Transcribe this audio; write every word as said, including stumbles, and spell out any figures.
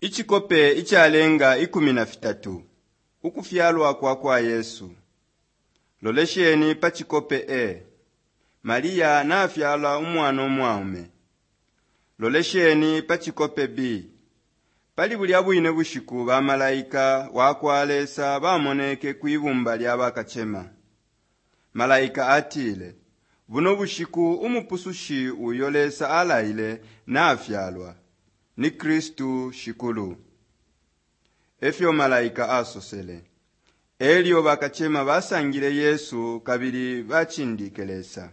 Icikope icalenga ikumi na fitatu ukufyalwa kwa kwa Yesu. Lolesheni pa cikope A. Maria nafyala umwana umwaume. Lolesheni pa cikope B. Pali bulya bwine bushiku bamalaika wa kwa Lesa bamoneke kwi bumba lya bakacema. Malaika atile, buno bushiku umupusushi uyo Lesa alaile nafyalwa. Ni Kristu Shikulu. Efyo malaika asosele. Elyo bakacema basangile Yesu kabili bacindike Lesa.